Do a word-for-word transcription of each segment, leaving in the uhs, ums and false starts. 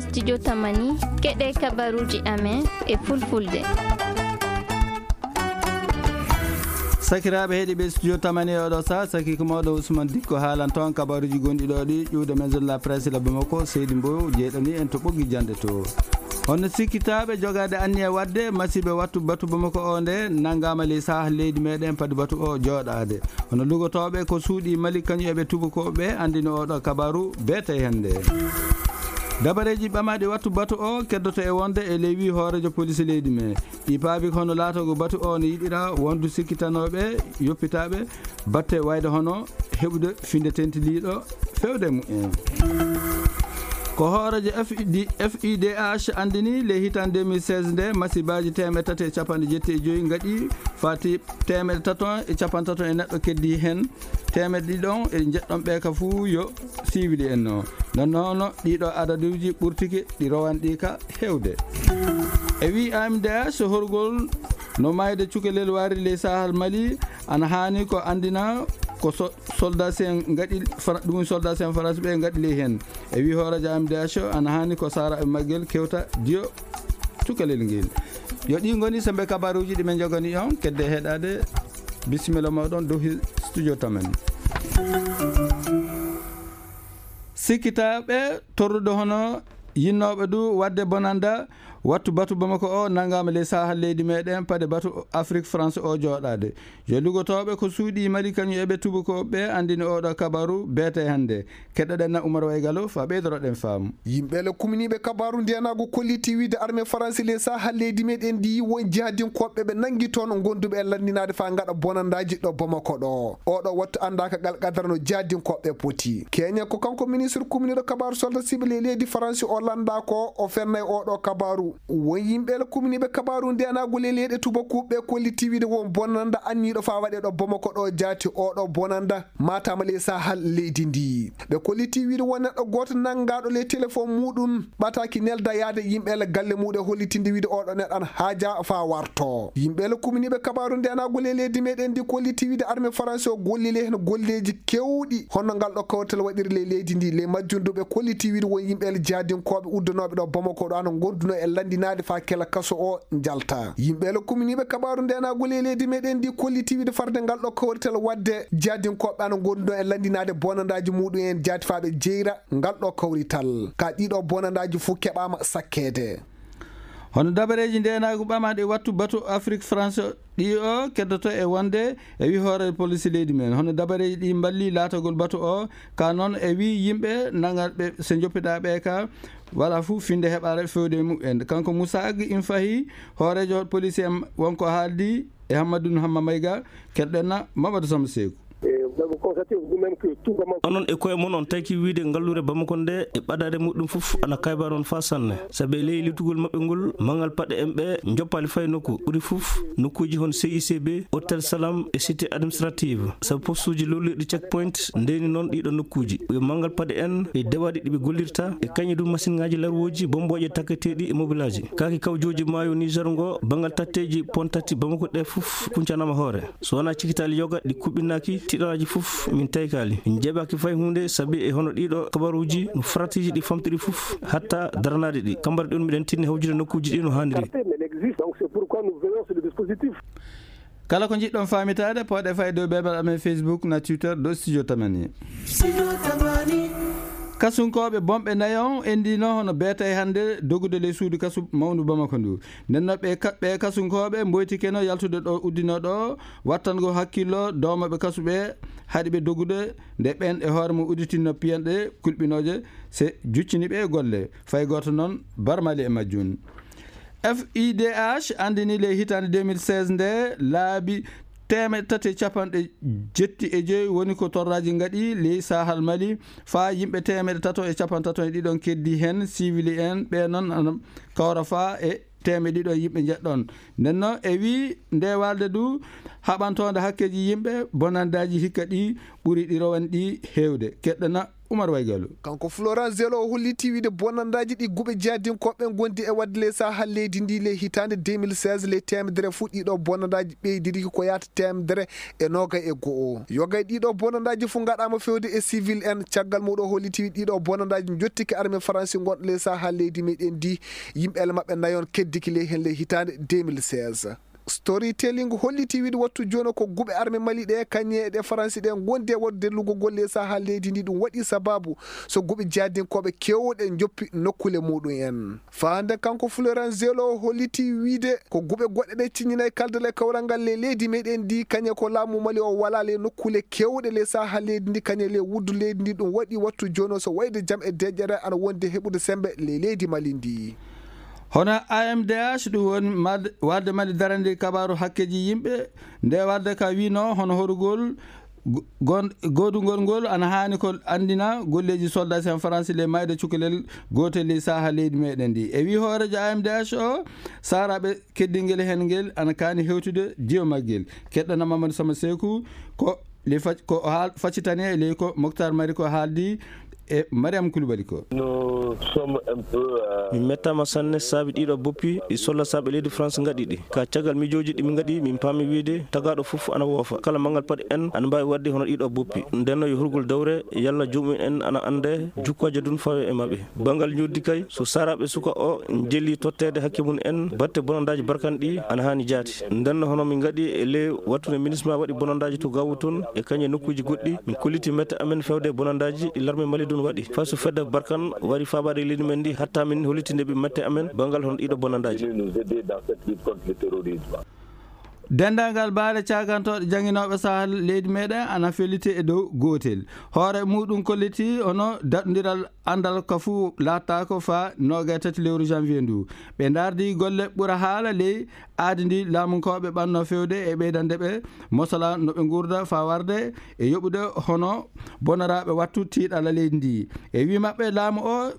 Studio Tamani, keɗe kabaruuji amen e fulfulde. Sakiraaɓe heɗiiɓe Studio Tamani e oɗo saa, saki ko mawɗo Ousmane Dikko haalan toon kabaruuji gonɗi ɗo ɗi, ƴuwde Maison de la Presse la Bamako, Seydi Mbow, jeyɗani en to ɓoggi jannde to. Honno sikkitaaɓe jogaade anniya waɗde masiiɓe wattu batu Bamako o nde nanngaama ley saha leydi meɗen padi batu o jooɗaade. Hono lugotooɓe ko suuɗi Mali kañum e ɓe tubakooɓe anndini oɗo kabaru beete hannde. Dabareeji ɓamaaɗi wattu batu o keddoto e wonde e ley wii hooreejo poliisi leydi men. Ɗi paabi ko hono laatoogo batu o no yiɗira wondu sikkitanooɓe, yoppitaaɓe, batte wayde hono heɓude finde tentiliiɗo fewde mumen. Ko hooreejo F I D, F I D H anndini ley hitaande deux mille seize nde, masibaaji teemedde tati e capanɗe jetti e joyi ngaɗi, fati teemedde tato e capanɗe tato e neɗɗo keddi heen, teemedde ɗiɗon e njeɗɗon ɓe ka fuu yo siwili en no. Non noon ɗiɗo adaduuji ɓurtike ɗi rowanɗi ka heewde. E wii A M D H, horgol no maayde cukalel waari ley Sahel Mali, ana haani ko anndina ko so-, soldat en ngaɗi, Fra-, ɗum soldat en France ɓe ngaɗi ley heen. E wii hooreejo A M D H, ana haani ko saaraaɓe maggel kewta diyo cukalel ngel. Yo ɗi ngoni sembe kabaruuji ɗi men njogani on, kedde heɗaade. Bisimilla mooɗon dow hi-, studio tamen. Sikkitaaɓe torrude hono yinnooɓe du waɗde bonanda wattu batu Bamako o nanngaama ley saha leydi meɗen, pade batu Afrique France o jooɗaade. Yo lugotooɓe ko suuɗi Mali kañum e ɓe tubakooɓe anndini oɗo kabaru beete hannde. Keɗoɗen na Oumar Waygalo fa ɓeydoroɗen faamu. Yimɓe le kuminiiɓe kabaru ndenaagu kolliti wiide armée France ley saha leydi meɗen ndi won jihadinkooɓe ɓe nanngi toon gonduɓe e lanndinaade fa ngaɗa bonandaaji ɗo Bamako ɗo. Oɗo wattu anndaaka gal qadara no jihadinkooɓe poti. Kenya ko kanko ministre kuminiiɗo kabaru soldat siɓe ley leydi France o lannda ko o fennay oɗo kabaru. Won yimɓe le kuminiiɓe kabaru ndenaagu ley leyɗe tubakuuɓe kolliti wiide won bonanda anniiɗo fa waɗe ɗo Bamako ɗo jaati oɗo bonanda. Matam ley sahal leydi ndi. Ɓe kolliti wiide won neɗɗo gooto nanngaaɗo ley telefoŋ muuɗum, ɓataaki nelda yaade yimɓe le galle muuɗum e hollitinde wiide oɗo neɗɗo ana haaja faa warto. Yimɓe le kuminiiɓe kabaaru ndeenaagu ley leydi meɗen ndi kolliti wiide armée France o gollii ley heen golleeji keewɗi, hono ngal ɗo kawrital waɗiri ley leydi ndi. Ley majjum du ɓe kolliti wiide won yimɓe le jihadinkooɓe uddanooɓe ɗo Bamako ɗo ana ngondunoo e lanndinaade faa kela kaso o njalta. Yimɓe le kuminiiɓe kabaaru ndeenaagu ley leydi meɗen ndi kolliti wiide farde ngal ɗo kawrital waɗde jihadinkooɓe ana ngondunoo e lanndinaade bonandaaji muuɗum en jaati faa ɓe jeyra ngal ɗo kawrital. Ka ɗiɗo bonandaaji fuu keɓaama sakkeede. Hono dabareeji ndeenaagu ɓamaaɗi wattu batu Afrique France ɗi o keddoto e wonde e wi hoore police leydi men. Hono dabareeji ɗi mballi laatagol batu o, ka noon e wi yimɓe nangatɓe so njoppiɗaa ɓe ka wala fuu finde heɓaare fewde e mumen. Kanko Moussa Ag in fahi hooreejo police en wonko haaldi e Hammadou Hamma Mayga, keɗɗen na Mamadou Samba Seeku. Onon e koye mon on taki wiide ngalluure Bamako nde e ɓadaade muɗum fof ana kayba noon faa sanne. Sabi e ley lutugol maɓɓe ngol, mangal paɗe en ɓe njoppaali fay nokku. Ɓuri fof nokkuuji hono C I C B, Hôtel Salam e cité administrative. Sabu postuuji lolliiɗi checkpoint ndeeni noon ɗiɗo nokkuuji. Ɓe mangal paɗe en e dewaaɗi ɗi ɓe gollirta e kañi ɗum masiŋaaji larwooji bombooje takketeeɗi e mobilaaji. Kaaki kawjooji maayo Niger ngo, bangal tatteeji pon tati Bamako ɗe fof kuncanaama hoore. So wonaa cikitaali yoga ɗi kuɓɓinaaki, tiɗoraaji fof min taykaali. Min njeeɓaaki fay huunde sabi e hono ɗiɗo kabaruuji no faratiiji ɗi famtiri fof hatta daranaade ɗi. Kambara ɗi on miɗen tinni hawjude nokkuuji ɗi no haaniri. Kala ko njiɗɗon faamitaade, pooɗe fay dow beebal amen Facebook na Twitter dow Studio Tamani. Kasunkooɓe bonɓe nayon endino hono beetay hannde dogude ley suudu kasu mawndu Bamako ndu. Nden no ɓe ka-, ɓe kasunkooɓe mboytikeno yaltude ɗo uddino ɗo, wattango hakkillo doomaɓe kasu ɓe, haɗi ɓe dogude nde ɓen e hoore mum udditinno piyanɗe kulɓinooje se juccini ɓe e golle. Fay gooto noon barmali e majjum. F I D H anndini ley hitaande deux mille seize nde laabi teemeɗɗe tati e capanɗe jetti e joyi woni ko torraaji ngaɗi ley Sahal Mali, faa yimɓe teemeɗɗe tato e capanɗe tato e ɗiɗon keddi heen, siwili en, ɓe noon ana kawra faa e teemeɗɗe ɗiɗo yimɓe njeɗɗon. Nden noon e wii nde walde du haɓantoonde hakkeeji yimɓe, bonandaaji hikka ɗi ɓuri ɗi rowan ɗi heewde. Keɗɗana Umar Waygalu. Kanko Florent Zelo o holliti wiide bonandaaji ɗi guɓe jihadinkooɓe ngondi e waɗde ley Sahel leydi ndi ley hitaande deux mille seize, ley teemedere fuu ɗiɗo bonandaaji ɓeydiriki ko yahata teemedere e noogay e go'o. Yogay ɗiɗo bonandaaji fuu ngaɗaama fewde e civil en. Caggal muuɗum o holliti wiide ɗiɗo bonandaaji njottike armée Faransi ngonɗo ley Sahel leydi meɗen ndi, yimɓe ele maɓɓe nayon keddiki ley heen ley hitaande deux mille seize. Storytelling holliti wiide wattu jooni ko guɓe arme Mali ɗe, kañe e ɗe Faransi ɗe, ngondi e waɗde lugogol ley Sahel leydi ndi. Ɗum waɗi sababu so guɓe jihadinkooɓe keewɗe njoppi nokkule muuɗum en. Faande kanko Florent Zelo holliti wiide ko guɓe goɗɗe ɗe ciññinay kaldal e kawral ngal ley leydi meɗen ndi, kañe ko laamu Mali o wala ley nokkule keewɗe ley Sahel leydi ndi, kañe ley wuddu leydi ndi. Ɗum waɗi wattu jooni so wayde jam e deƴƴere ana wondi heɓude sembe ley leydi Mali ndi. Hono A M D H, ɗum woni mad-, wadde Mali darande kabaaru hakkeeji yimɓe, nde wadde ka wino hono horugol go-, gon-, godugol ngol ana haani ko anndina golleeji soldats en Faransi le mayde cukalel gootel ley Sahel leydi meɗen ndi. E wi hooreejo A M D H o, saaraaɓe keddingel heen ngel ana kaani hewtude jiwo maggel. Keɗɗana Mamadou Sama Seku ko le fac-, ko haal-, faccitani e ley ko Moctar Mari ko haaldi e Mariam Koulibaly ko. Nous sommes un peu, euh, Min mettaama sanne saabi ɗiɗo boppi ɗi solla saaɓe leydi France ngaɗi ɗi. Ka caggal mijooji ɗi min ngaɗi, min paami wiide tagaaɗo fof ana woofa. Kala manngal paɗi en ana mbaawi waɗde hono ɗiɗo boppi. Nden no yo hurgol dawre, yalla joomum en ana annde jukkooje dun fawe e maɓɓe. Banngal njoɗdi kay, so saaraaɓe suka o njelli totteede hakke mum en, batte bonandaaji barkan ɗi ana haani jaati. Nden no hono min ngaɗi e ley wattude ministre ma waɗi bonandaaji to Gaawu tun e kañe nokkuuji goɗɗi, min kolliti mette amen fewde bonandaaji ɗi larme Mali dun waɗi. Fay so fedde barkan wari faabaade leydi men ndi, hatta min hollitinde ɓe mette amen banngal hono ɗiɗo bonandaaji. Venir nous aider dans cette lutte contre le terrorisme. Denndaangal baale caagantooɗe jannginooɓe Sahel leydi meɗen ana felliti e dow gootel. Hoore muuɗum kolliti hono daɗondiral anndal ka fuu laattaako faa noogay tati lewru janvier ndu. Ɓe ndaardi golle ɓura haala ley aadi ndi laamunkooɓe ɓanno fewde e ɓeydande ɓe mosala no ɓe nguurda faa warde e yoɓude hono bonoraaɓe wattu tiiɗalla leydi ndi. E wii maɓɓe laamu o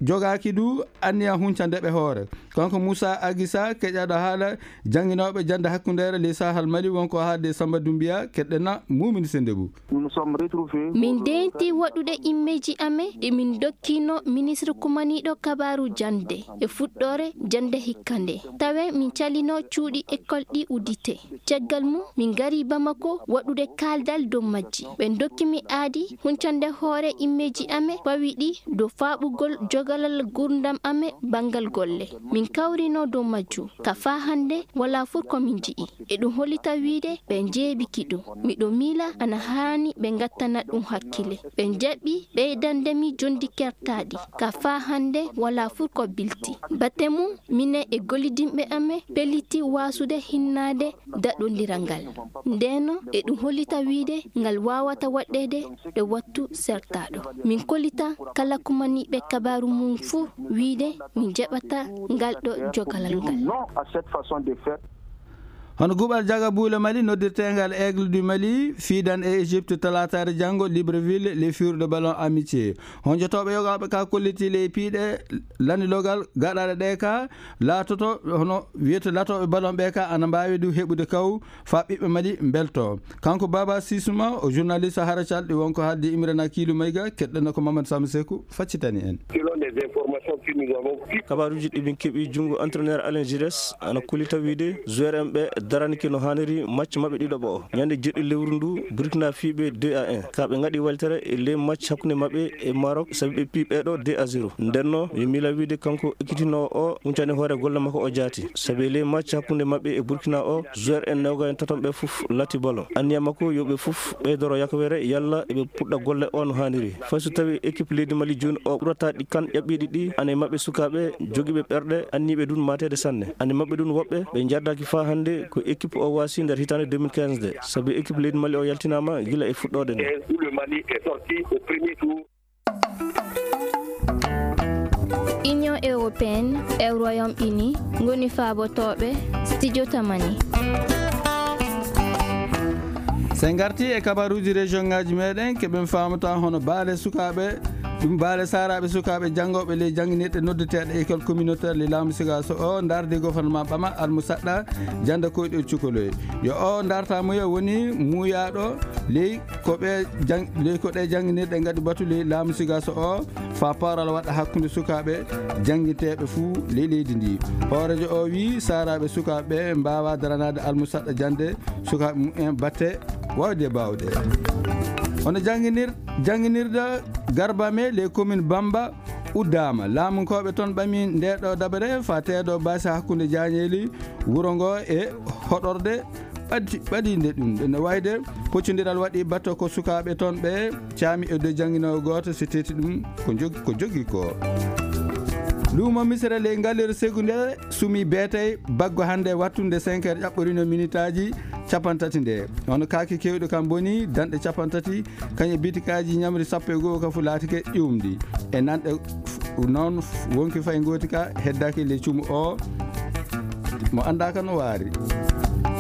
jogaaki du anniya huncande ɓe hoore. Kanko Moussa Agissa, keƴaɗo haala jannginooɓe jannde hakkundeere ley Sahel Mali, wonko haalde Samba Doumbia, keɗɗena Mumini Sendebu. Nous nous sommes retrouvés. Min deenti waɗude immeeji amen ɗi min dokkino ministre kumaniiɗo kabaaru jannde e fuɗɗoore jannde hikka nde. Tawe min calino cuuɗi école ɗi uddite. Caggal mum, min ngari Bamako waɗude kaaldal dow majji. Ɓe ndokki mi aadi huncande hoore immeeji amen pawi ɗi dow faaɓugol jogalal gurdam amen banngal golle. Min kawrino dow majjum. Ka faa hannde, walaa fuu ko min nji'i. Eɗum hollita wiide ɓe njeeɓiki ɗum. Miɗo miila ana haani ɓe ngattana ɗum hakkile. Ɓe njaɓi ɓeydande mi jonndi kertaaɗi. Ka faa hannde, walaa fuu ko bilti. Batte mum, minen e gollidinɓe amen pelliti waasude hinnaade daɗondiral ngal. Ndeen no eɗum hollita wiide ngal waawata waɗɗeede e wattu sertaaɗo. Min kollita kala kumaniiɓe kabaaru mum fuu wiide min njaɓata ngal ɗo jogalal ngal. Non à cette façon de faire. Hono guɓal jaga buule Mali noddirteengal Aigle du Mali fiidan e Égypte talaataare janngo Libreville ley fiirude ballon amitié. Honjotooɓe yogaaɓe ka kolliti ley piiɗe lanndiloogal gaɗaaɗe ɗe ka laatoto hono wiyete latooɓe ballon ɓe ka ana mbaawi du heɓude kaw faa ɓiɓɓe Mali mbelto. Kanko Baba Sisuma o journaliste hara calɗi wonko haaldi Imrana Kiilu Mayga, keɗɗen ko Mamadou Samba Seku faccitani en. Selon les informations que nous avons pu Kabaaruuji ɗi min keɓi junngo entraîneur Alain Giresse ana kollita wiide joueur en ɓe daranike no haaniri match maɓɓe ɗiɗaɓo o. Ñande jeɗɗi lewru ndu Burkina fii ɓe deux à un. Ka ɓe ngaɗi weltere e ley match hakkunde maɓɓe e Maroc sabi ɓe pii ɓeeɗo deux à zéro. Nden no mi miila wiide kanko ekkitinoowo o huncani hoore golle makko o jaati. Sabi e ley match hakkunde maɓɓe e Burkina o, joueur en newga en taton ɓe fof lati ballon. Anniya makko yo ɓe fof ɓeydoro yakawere yalla eɓe puɗɗa golle o no haaniri. Fay so tawi équipe leydi Mali jooni o ɓurata ɗi kan ƴaɓɓiiɗi ɗi, ana e maɓɓe sukaaɓe jogiiɓe ɓerɗe, anniiɓe ɗum maateede sanne. Ana e maɓɓe ɗum woɓɓe ɓe njardaaki faa hannde ko équipe o waasi nder hitaande deux mille quinze nde, sabi équipe leydi Mali o yaltinaama gila e fuɗɗoode nde. Où le Mali est sorti au premier tour. Union européenne e Royaume-Uni ngoni faabotooɓe studio Tamani. So en ngarti e kabaruuji région ngaji meɗen, keɓen faamata hono baale sukaaɓe Ɗum baale saaraaɓe sukaaɓe janngooɓe ley jannginirɗe noddeteeɗe école communautaire ley laamu Sigaso o ndardi gouvernement ɓama almusaɗɗa jannde koyɗol cukaloy. Yo o ndarta muya woni muuyaaɗo ley ko ɓe jang-, ley ko ɗe jannginirɗe ngaɗi batu ley laamu Sigaso o faa pawral waɗa hakkunde sukaaɓe jannginteeɓe fuu ley leydi ndi. Hooreejo o wiyi saaraaɓe sukaaɓe ɓe mbaawaa daranaade almusaɗɗa jannde sukaaɓe mumen batte waawde baawɗe. Hono jannginir-, jannginirde Garba me ley commune Bamba uddaama. Laamunkooɓe toon ɓami nde ɗo dabere faa teedo baasi hakkunde jaañeeli wuro ngo e hoɗorde ɓadi-, ɓadiinde ɗum. Ene wayde poccondiral waɗi batte ko sukaaɓe toon ɓe caami e dow jannginoowo gooto, so teeti ɗum ko jog-, ko jogii ko. Luumo Misira ley Ngaleeru Segu nde sumi beetay baggo hannde wattunde cinq heures ƴaɓɓorino minitaaji cappanɗe tati nde. Hono kaake keewɗe kam boni danɗe cappanɗe tati, kañe bitikaaji ñamri sappo e goo ka fu laatike ƴuumndi. E nanɗe f-, noon f-, wonki fay ngooti ka heddaaki ley cumu o mo anndaaka no waari.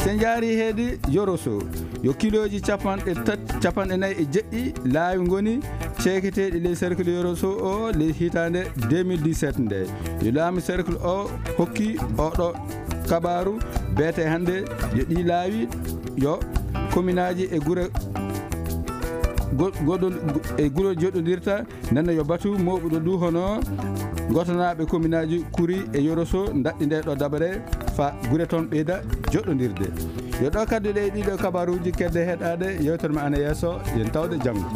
So njaari heedi Yoroso, yo kilooji capanɗe tat-, capanɗe nayi e jeɗɗi laawi ngoni ceeketeeɗi ley cercle Yoroso o ley hitaande deux mille dix-sept nde. Yo laamu cercle o hokki oɗo kabaaru beete hannde yo ɗi laawi yo kominaaji e gure go-, goɗɗo-, e gure joɗɗondirta nana yo batu mooɓuɗo ndu hono gotanaaɓe kominaaji Kuri e Yoroso ndaɗɗi nde ɗo dabare faa gure toon ɓeyda joɗɗondirde. Yo ɗo kaddu ɗe e ɗiɗo kabaaruuji kedde heɗaade yewtere ma ana yeeso, yen tawde janngo.